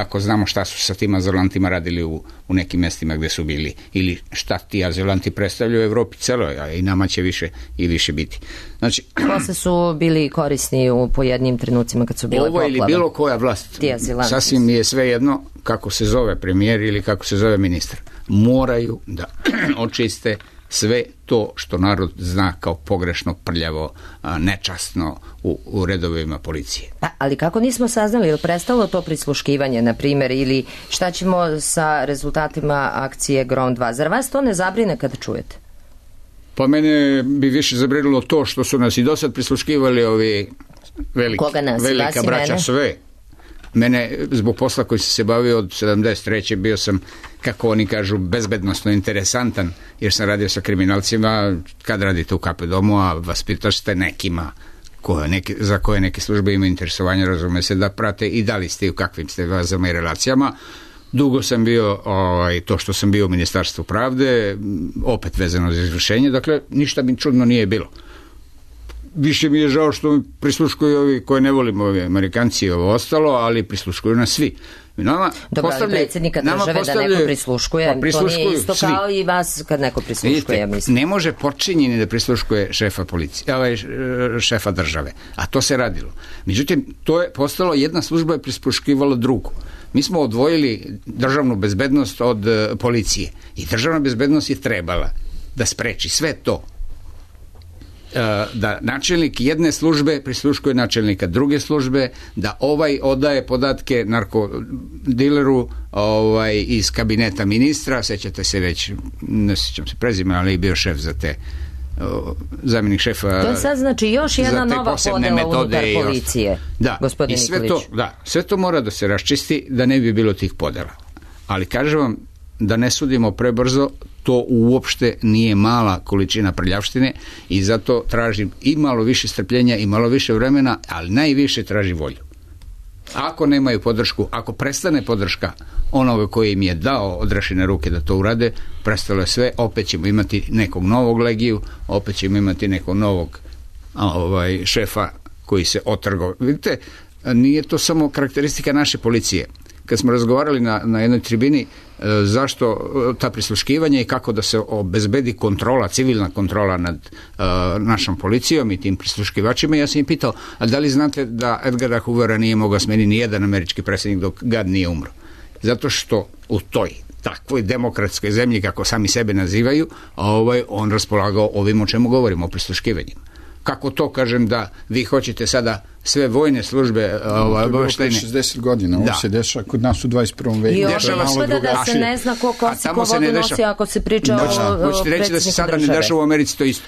ako znamo šta su sa tim azilantima radili u nekim mjestima gdje su bili, ili šta ti azilanti predstavljaju u Evropi celoj, a i nama će više i više biti. Znači, posle su bili korisni u pojednim trenucima kad su bile poplave. Ovo ili bilo koja vlast, sasvim je svejedno kako se zove premijer ili kako se zove ministar. Moraju da očiste sve to što narod zna kao pogrešno, prljavo, nečasno u redovima policije. Ali kako nismo saznali, je li prestalo to prisluškivanje, na primjer, ili šta ćemo sa rezultatima akcije Grom 2? Zar vas to ne zabrine kad čujete? Pa mene bi više zabrinilo to što su nas i dosad prisluškivali ovi velika braća sve. Mene, zbog posla koji sam se bavio od 73. bio sam, kako oni kažu, bezbednosno interesantan, jer sam radio sa kriminalcima. Kad radite u KP domu, a vaspitaš ste nekima za koje neke službe imaju interesovanje, razume se, da prate i da li ste i u kakvim ste vezama i relacijama. Dugo sam bio, to što sam bio u Ministarstvu pravde, opet vezano za izvršenje, dakle, ništa mi čudno nije bilo. Više mi je žao što mi prisluškuju ovi koje ne volimo, ovi Amerikanci i ovo ostalo, ali prisluškuju nas svi. Dobro, ali predsjednika države da neko prisluškuje, to nije isto svi. Kao i vas kad neko prisluškuje, ja mislim. Ne može počinjeni da prisluškuje šefa policije, šefa države, a to se radilo. Međutim, to je postalo, jedna služba je prisluškivala drugu. Mi smo odvojili državnu bezbednost od policije i državna bezbednost je trebala da spreči sve to, da načelnik jedne službe prisluškuje načelnika druge službe, da ovaj odaje podatke narkodileru iz kabineta ministra, sećate se već, ne sjećam se prezime, ali je bio šef za te, zamjenik šefa. To sad znači još jedna nova podela unutar policije, gospodin Nikolić. Sve to mora da se raščisti da ne bi bilo tih podela. Ali kažem vam, da ne sudimo prebrzo, to uopšte nije mala količina prljavštine i zato tražim i malo više strpljenja i malo više vremena, ali najviše traži volju. Ako nemaju podršku, ako prestane podrška onoga koji im je dao odrešene ruke da to urade, prestalo je sve, opet ćemo imati nekog novog Legiju, opet ćemo imati nekog novog šefa koji se otrgao. Vidite, nije to samo karakteristika naše policije. Kad smo razgovarali na jednoj tribini zašto ta prisluškivanja i kako da se obezbedi kontrola, civilna kontrola nad našom policijom i tim prisluškivačima, ja sam ih pitao, a da li znate da Edgara Hoovera nije mogao smeniti ni jedan američki predsjednik dok gad nije umro? Zato što u toj takvoj demokratskoj zemlji, kako sami sebe nazivaju, on raspolagao ovim o čemu govorimo, o prisluškivanjima. Kako to kažem da vi hoćete sada sve vojne službe obaveštene? 60 godina, ovo se dešava kod nas u 21. veku. I ovo da se ne zna ko kosi, ko vodu nosi ako se priča o predsjedniku hoćete reći da se sada ne dešava u Americi to isto.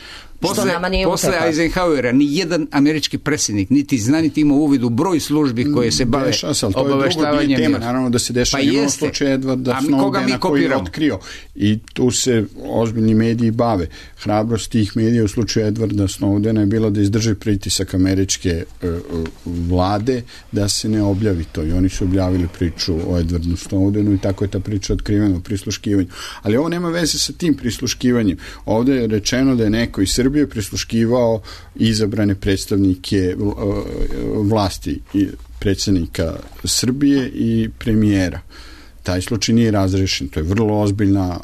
Posle Eisenhowera nijedan američki predsjednik niti zna niti ima uvid u broj službi koje se bave obaveštavanjem. Tema, naravno da se dešava. Imamo slučaj Edwarda Snowdena koji je otkrio i tu se ozbiljni mediji bave. Hrabrost tih medija u slučaju Edwarda Snowdena je bila da izdrži pritisak američke vlade da se ne objavi to, i oni su objavili priču o Edwardu Snowdenu i tako je ta priča otkrivena u prisluškivanju. Ali ovo nema veze sa tim prisluškivanjem. Ovde je rečeno da je neko iz Srbije prisluškivao izabrane predstavnike vlasti, i predsjednika Srbije i premijera. Taj slučaj nije razrešen, to je vrlo ozbiljna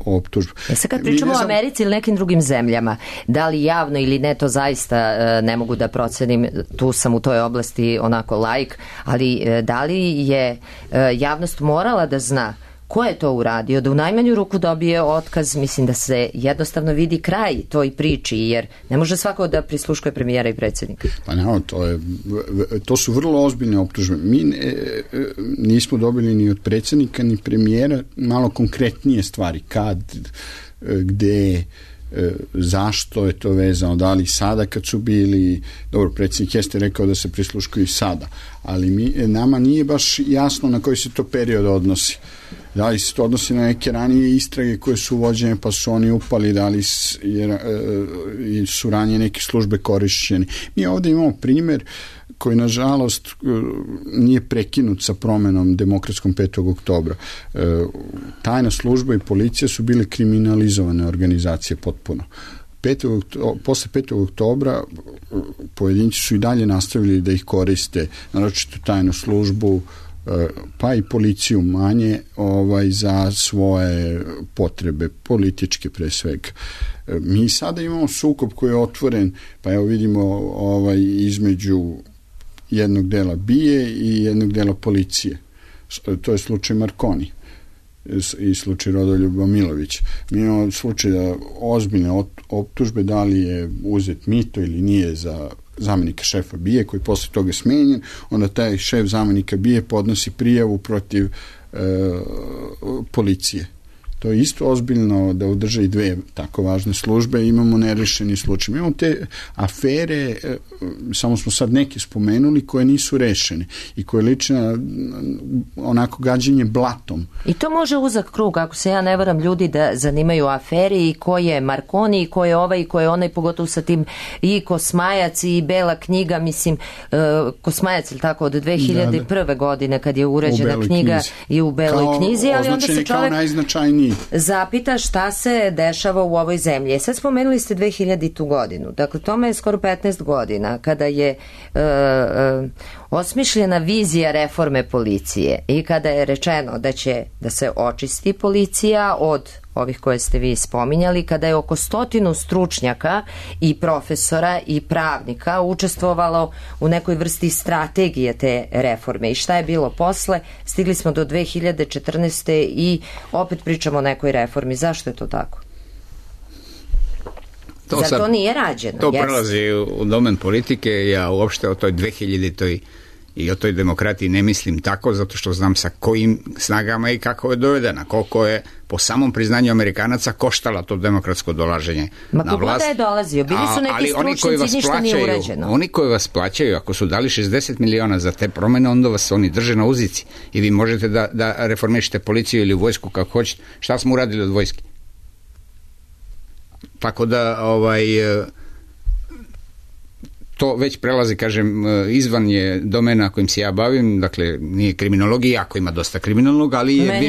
optužba. Sad kad pričamo o Americi ili nekim drugim zemljama, da li javno ili ne, to zaista ne mogu da procenim, tu sam u toj oblasti onako laik, ali da li je javnost morala da zna ko je to uradio, da u najmanju ruku dobije otkaz, mislim da se jednostavno vidi kraj toj priči, jer ne može svako da prisluškuje premijera i predsjednika. Pa ne, to su vrlo ozbiljne optužbe. Mi nismo dobili ni od predsjednika ni premijera malo konkretnije stvari, kad, gde, zašto je to vezano, da li sada kad su bili, dobro, predsjednik jeste rekao da se prisluškuju i sada, ali nama nije baš jasno na koji se to period odnosi. Da li se to odnosi na neke ranije istrage koje su vođene pa su oni upali, da li su ranije neke službe korišćene. Mi ovdje imamo primjer koji nažalost nije prekinut sa promenom demokratskom 5. oktobra. Tajna služba i policija su bile kriminalizovane organizacije potpuno. Posle 5. oktobra pojedinci su i dalje nastavili da ih koriste, naročito tajnu službu, pa i policiju manje za svoje potrebe, političke pre svega. Mi sada imamo sukob koji je otvoren, pa evo vidimo između jednog dela BIA i jednog dela policije. To je slučaj Marconi i slučaj Rodoljuba Milovića. Mi imamo slučaj da ozbiljne optužbe, da li je uzet mito ili nije za zamenika šefa BIA, koji posle toga smenjen, onda taj šef zamenika BIA podnosi prijavu protiv policije. To je isto ozbiljno da udrže i dve tako važne službe. Imamo nerešeni slučaj. Imamo te afere, samo smo sad neke spomenuli, koje nisu rešene i koje liče na onako gađenje blatom. I to može uzak krug, ako se ja ne varam, ljudi da zanimaju afere i ko je Marconi i ko je ovaj i ko je onaj, pogotovo sa tim i Kosmajac i Bela knjiga, mislim, Kosmajac ili tako od 2001. godine kad je uređena knjiga i u Beloj knjizi, ali onda se čovjek zapita šta se dešava u ovoj zemlji. Sad spomenuli ste 2000. godinu, dakle tome je skoro 15 godina kada je osmišljena vizija reforme policije i kada je rečeno da će da se očisti policija od ovih koje ste vi spominjali, kada je oko 100 stručnjaka i profesora i pravnika učestvovalo u nekoj vrsti strategije te reforme. I šta je bilo posle? Stigli smo do 2014. i opet pričamo o nekoj reformi. Zašto je to tako? Zar to nije rađeno? To prelazi u domen politike. Ja uopšte o toj 2000-toj i o toj demokratiji ne mislim tako, zato što znam sa kojim snagama i kako je dovedena, koliko je po samom priznanju Amerikanaca koštala to demokratsko dolaženje na vlast. Ma kogoda je dolazio, bili su neki stručnici, ništa nije uređeno. Oni koji vas plaćaju, ako su dali 60 miliona za te promene, onda vas oni drže na uzici i vi možete da reformišete policiju ili vojsku kako hoćete. Šta smo uradili od vojske? Tako da to već prelazi, kažem, izvan je domena kojim se ja bavim, dakle nije kriminologija, ako ima dosta kriminolog, ali je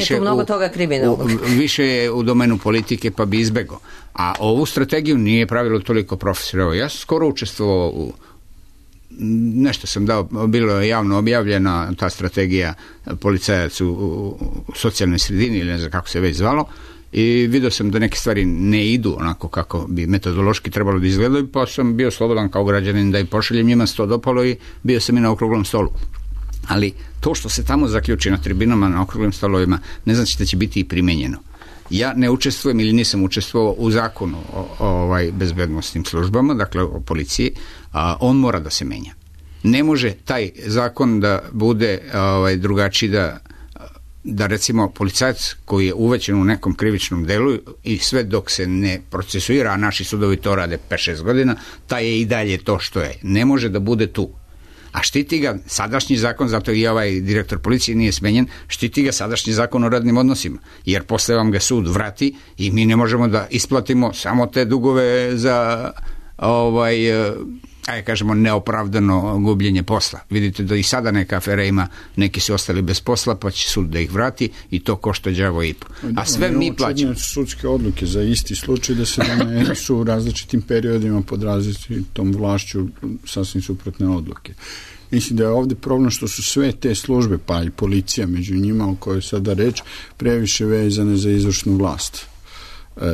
više je u domenu politike, pa bi izbegao. A ovu strategiju nije pravilo toliko profesora. Ja sam skoro učestvovao u nešto sam dao, bilo je javno objavljena ta strategija policajac u socijalnoj sredini ili ne znam kako se već zvalo, i vidio sam da neke stvari ne idu onako kako bi metodološki trebalo da izgledaju, pa sam bio slobodan kao građanin da i pošaljem, njima se to dopalo i bio sam i na okruglom stolu. Ali to što se tamo zaključi na tribinama, na okruglim stolovima, ne znači da će biti i primenjeno. Ja ne učestvujem ili nisam učestvovao u zakonu o bezbednostnim službama, dakle o policiji, a on mora da se menja. Ne može taj zakon da bude drugačiji, da recimo policajac koji je uvećen u nekom krivičnom delu i sve dok se ne procesuira, a naši sudovi to rade 5-6 godina, taj je i dalje to što je. Ne može da bude tu. A štiti ga sadašnji zakon, zato i ovaj direktor policije nije smenjen, štiti ga sadašnji zakon o radnim odnosima, jer posle vam ga sud vrati i mi ne možemo da isplatimo samo te dugove za kažemo, neopravdano gubljenje posla. Vidite da i sada neka afera ima, neki su ostali bez posla, pa će sud da ih vrati i to košta đavo i po. A sve mi plaćamo. Sudske odluke za isti slučaj da se donesu u različitim periodima pod različitom vlašću sasvim suprotne odluke. Mislim da je ovde problem što su sve te službe, pa i policija među njima, o kojoj sada reč, previše vezane za izvršnu vlast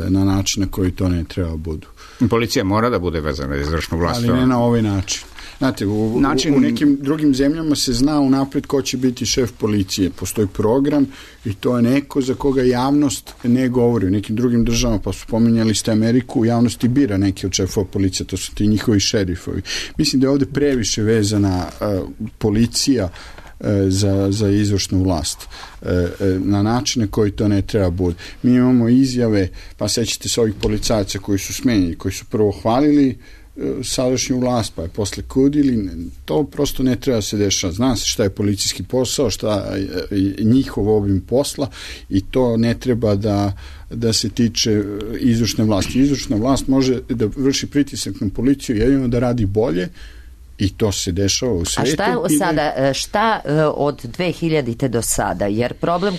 na način na koji to ne treba budu. Policija mora da bude vezana za izvršnu vlast. Ali ne na ovaj način. Znate, u nekim drugim zemljama se zna unapred ko će biti šef policije. Postoji program i to je neko za koga javnost ne govori. U nekim drugim državama, pa su pominjali ste Ameriku, u javnosti bira neki od šefova policije, to su ti njihovi šerifovi. Mislim da je ovde previše vezana policija za izvršnu vlast na način na koji to ne treba bude. Mi imamo izjave, pa sećate se ovih policajaca koji su smenjeni, koji su prvo hvalili sadašnju vlast, pa je posle kudili. To prosto ne treba se dešava. Zna se šta je policijski posao, šta je njihov obim posla i to ne treba da se tiče izvršne vlasti. Izvršna vlast može da vrši pritisak na policiju jedino da radi bolje i to se dešava u svetu. A šta od 2000. do sada? Jer problem,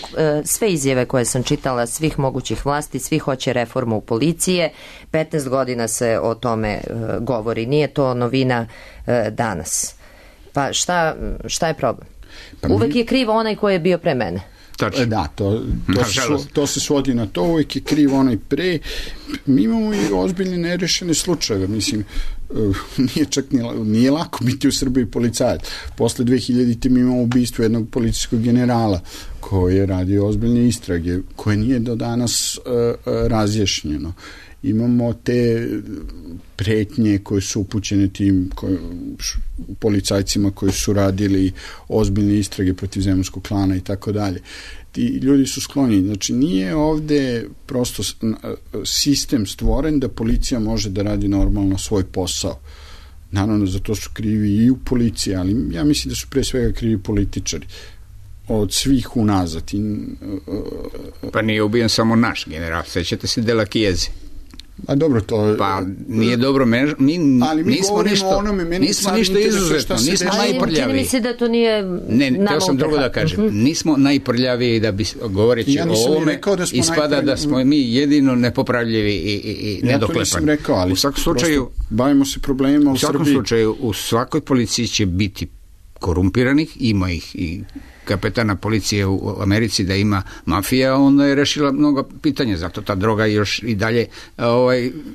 sve izjave koje sam čitala svih mogućih vlasti, svi hoće reformu policije, 15 godina se o tome govori. Nije to novina danas. Pa šta je problem? Uvek je kriv onaj koji je bio pre mene. Da, to se svodi na to, uvijek je kriv onaj pre. Mi imamo i ozbiljne nerešene slučajeve, mislim, nije lako biti u Srbiji policajac. Posle 2000. mi imamo ubistvo jednog policijskog generala koji je radio ozbiljne istrage, koje nije do danas razjašnjeno. Imamo te pretnje koje su upućene tim policajcima koji su radili ozbiljne istrage protiv zemunskog klana i tako dalje. Ti ljudi su skloni. Znači, nije ovde prosto sistem stvoren da policija može da radi normalno svoj posao. Naravno, za to su krivi i u policiji, ali ja mislim da su pre svega krivi političari od svih unazad. Pa nije ubijen samo naš general, sećate se Dela Chiesi. A dobro, to... Pa nije dobro, mi nismo ništa izuzetno, nismo najprljaviji. Čini mi se da to nije nama teo sam drugo da kažem. Nismo najprljaviji da bi govoreći o ovome ispada da smo mi jedino nepopravljivi i nedoklepani. Ja to nisam rekao, ali u svakom slučaju bavimo se problemima u Srbiji. U svakom slučaju, u svakoj policiji će biti korumpiranih, ima ih i kapetana policije u Americi da ima mafija, onda je rešila mnogo pitanja, zato ta droga još i dalje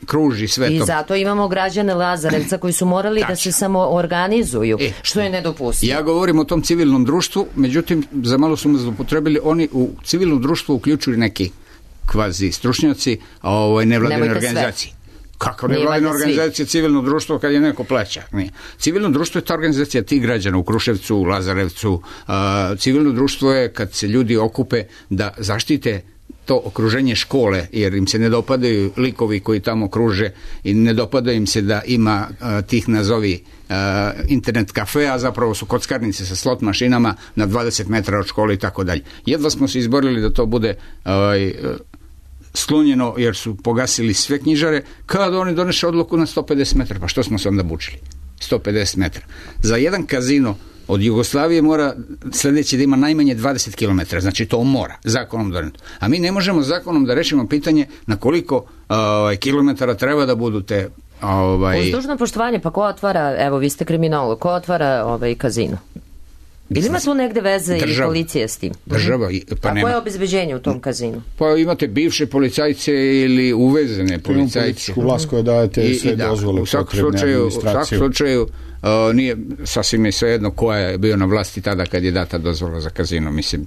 kruži svetom. I zato imamo građane Lazarevca koji su morali da se samo organizuju, što je nedopustivo. Ja govorim o tom civilnom društvu, međutim, za malo su me zloupotrebili, oni u civilnom društvu uključuju neki kvazi stručnjaci, nevladine organizacije. Kako nevladina organizacija civilno društvo kad je neko plaća? Nije. Civilno društvo je ta organizacija tih građana u Kruševcu, u Lazarevcu. Civilno društvo je kad se ljudi okupe da zaštite to okruženje škole, jer im se ne dopadaju likovi koji tamo kruže i ne dopada im se da ima tih nazovi internet kafe, a zapravo su kockarnice sa slot mašinama na 20 metara od škole i tako dalje. Jedva smo se izborili da to bude sklonjeno jer su pogasili sve knjižare, kada oni doneše odluku na 150 metara. Pa što smo se onda bučili? 150 metara. Za jedan kazino od Jugoslavije mora sledeći da ima najmanje 20 km, znači to mora, zakonom doneto. A mi ne možemo zakonom da rešimo pitanje na koliko kilometara treba da budu te... Uz dužno poštovanje, pa ko otvara, evo vi ste kriminolog, ko otvara kazino? Ili ima tu negde veze i policija s tim? Država. Pa koje je obezbeđenje u tom kazinu? Pa imate bivše policajce ili uvezene policajce. Političku vlast koja dajete sve dozvole potrebne administracije. U svakom slučaju nije sasvim je svejedno koja je bio na vlasti tada kad je data dozvola za kazino. Mislim,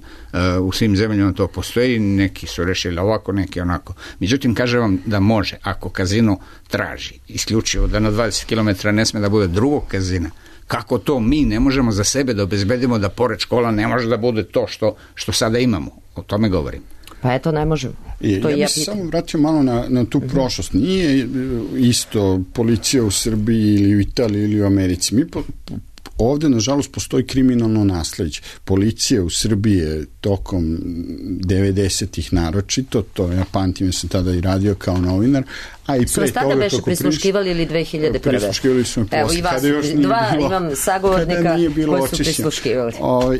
u svim zemljama to postoji, neki su rešili ovako, neki onako. Međutim, kažem vam da može, ako kazino traži isključivo da na 20 km ne sme da bude drugog kazina, kako to mi ne možemo za sebe da obezbedimo da pored škola ne može da bude to što sada imamo. O tome govorim. Pa eto, ne možemo. Ja bih se samo vratio malo na tu prošlost. Nije isto policija u Srbiji ili u Italiji ili u Americi. Mi Ovde, nažalost, postoji kriminalno nasleđe. Policija u Srbiji je tokom 90-ih naročito, to ja pamtim, ja sam tada i radio kao novinar, a i Su pre vas tada toga beše prisluškivali ili 2001. Prisluškivali su me Evo posle, i vas, kada još nije dva bilo, imam sagovornika kada nije bilo koji su očišćeno. prisluškivali.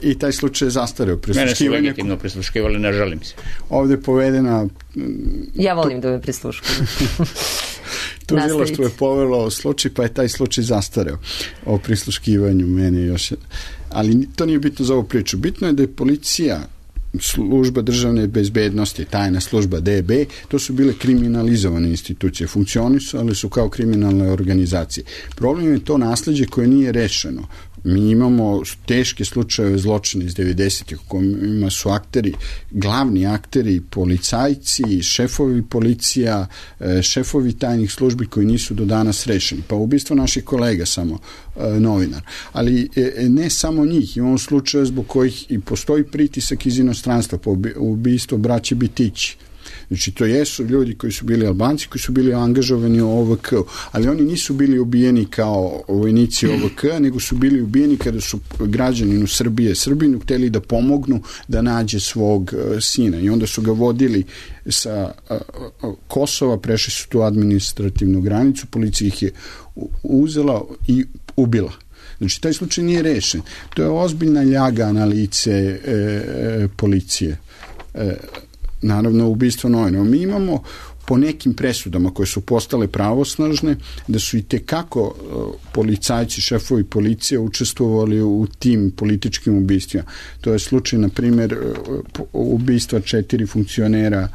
I taj slučaj je zastareo. Mene su legitimno prisluškivali, ne žalim se. Ovde je povedena... Ja volim da me prisluškuju. Tužilaštvo je povelo slučaj, pa je taj slučaj zastareo o prisluškivanju meni još. Ali to nije bitno za ovu priču. Bitno je da je policija, služba državne bezbednosti, tajna služba DB, to su bile kriminalizovane institucije. Funkcionisale su kao kriminalne organizacije. Problem je to nasleđe koje nije rešeno. Mi imamo teške slučajeve zločina iz 90-ih u kojima su akteri, glavni akteri, policajci, šefovi policija, šefovi tajnih službi koji nisu do danas rešeni. Pa ubistvo naših kolega samo novinar. Ali ne samo njih, imamo slučaje zbog kojih i postoji pritisak iz inostranstva, po ubistvo braće Bitići. Znači, to jesu ljudi koji su bili Albanci, koji su bili angažovani u OVK, ali oni nisu bili ubijeni kao vojnici OVK, nego su bili ubijeni kada su građaninu Srbinu hteli da pomognu da nađe svog sina. I onda su ga vodili sa Kosova, prešli su tu administrativnu granicu, policija ih je uzela i ubila. Znači, taj slučaj nije rešen. To je ozbiljna ljaga na lice policije. Naravno, ubistvo novinara. Mi imamo po nekim presudama koje su postale pravosnažne, da su i tekako policajci, šefovi policije učestvovali u tim političkim ubistvima. To je slučaj, na primjer, ubistva 4 funkcionera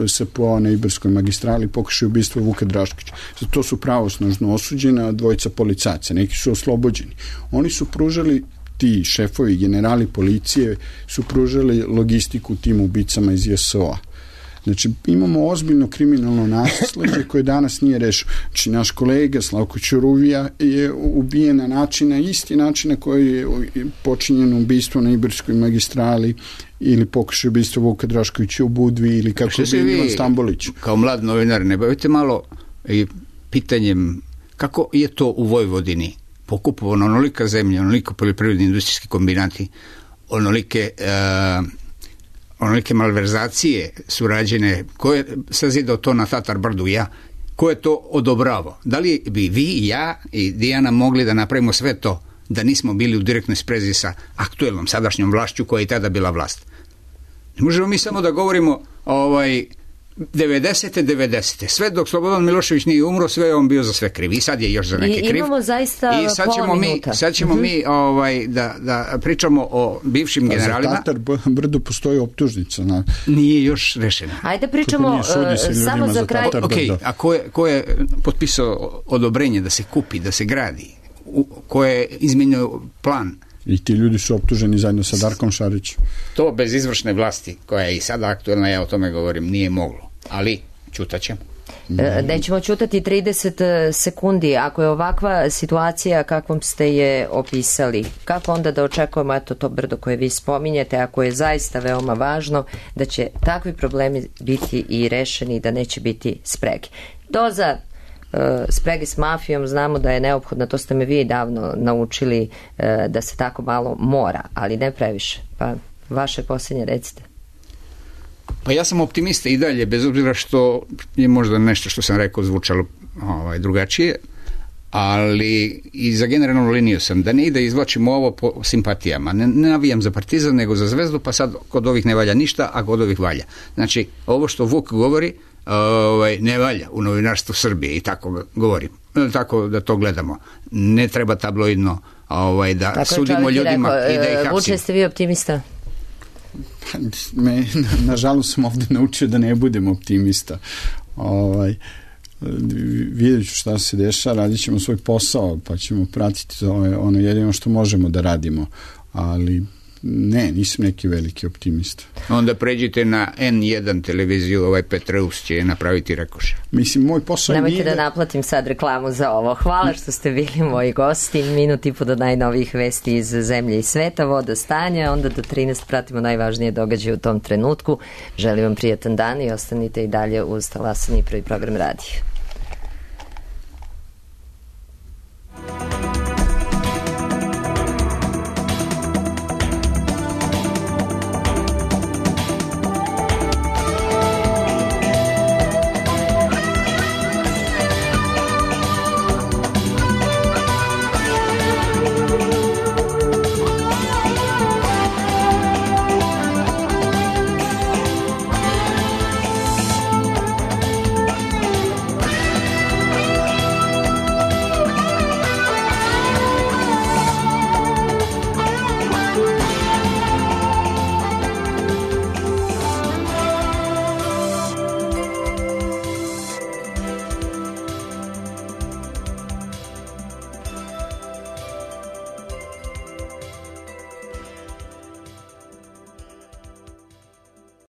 SPO na Ibarskoj magistrali, pokušaj ubistva Vuka Draškovića. To su pravosnažno osuđena dvojica policajaca. Neki su oslobođeni. Oni su pružali, ti šefovi, generali policije su pružali logistiku tim ubicama iz JSO-a. Znači, imamo ozbiljno kriminalno nasleđe koje danas nije rešeno. Znači, naš kolega Slavko Ćuruvija je ubijen na isti način na koji je počinjeno ubistvo na Ibarskoj magistrali ili pokušaj ubistva Vuka Draškovića u Budvi ili kako bi Milan Stambolić. Kao mlad novinar, ne bavite malo i pitanjem kako je to u Vojvodini pokupovano onolika zemlja, onoliko poljoprivredni industrijski kombinati, onolike malverzacije su rađene, ko je sazidao to na Tatar Brdu, ja, ko je to odobravao? Da li bi vi, ja i Dijana mogli da napravimo sve to da nismo bili u direktnoj sprezi sa aktuelnom sadašnjom vlašću koja je i tada bila vlast? Ne možemo mi samo da govorimo 90. Sve dok Slobodan Milošević nije umro, sve je on bio za sve kriv. I sad je još za neke kriv. Imamo zaista pola minuta. Sad ćemo mi da pričamo o bivšim generalima. Za Tatar Brdo postoji optužnica. Nije još rešena. Ajde pričamo samo za kraj. A ko je potpisao odobrenje da se kupi, da se gradi? Ko je izmenio plan? I ti ljudi su optuženi zajedno sa Darkom Šarićem. To bez izvršne vlasti, koja je i sada aktuelna, ja o tome govorim, nije moglo. Ali ćutaćemo. Nećemo ćutati 30 sekundi. Ako je ovakva situacija kakvom ste je opisali, kako onda da očekujemo to brdo koje vi spominjete, ako je zaista veoma važno da će takvi problemi biti i rešeni, da neće biti sprege. Doza sprege s mafijom znamo da je neophodna, to ste me vi davno naučili da se tako malo mora, ali ne previše. Pa vaše posljednje recite. Pa ja sam optimista i dalje, bez obzira što je možda nešto što sam rekao zvučalo drugačije, ali i za generalnu liniju sam da ne ide izvlačimo ovo po simpatijama. Ne navijam za Partizan, nego za Zvezdu, pa sad kod ovih ne valja ništa, a kod ovih valja. Znači, ovo što Vuk govori ne valja u novinarstvu Srbije i tako govorim. Tako da to gledamo. Ne treba tabloidno da tako sudimo ljudima i da ih hapsimo. Vuče, ste vi optimista? Nažalost sam ovde naučio da ne budem optimista. Vidjet ću šta se dešava, radit ćemo svoj posao, pa ćemo pratiti ono jedino što možemo da radimo, ali ne, nisam neki veliki optimista. Onda pređite na N1 televiziju, Petreus će napraviti rekoše. Mislim, moj posao Nemojte da naplatim sad reklamu za ovo. Hvala što ste bili moji gosti. Minut i po do najnovijih vesti iz zemlje i sveta, voda stanja, onda do 13 pratimo najvažnije događaje u tom trenutku. Želim vam prijatan dan i ostanite i dalje uz Talasani, prvi program radija.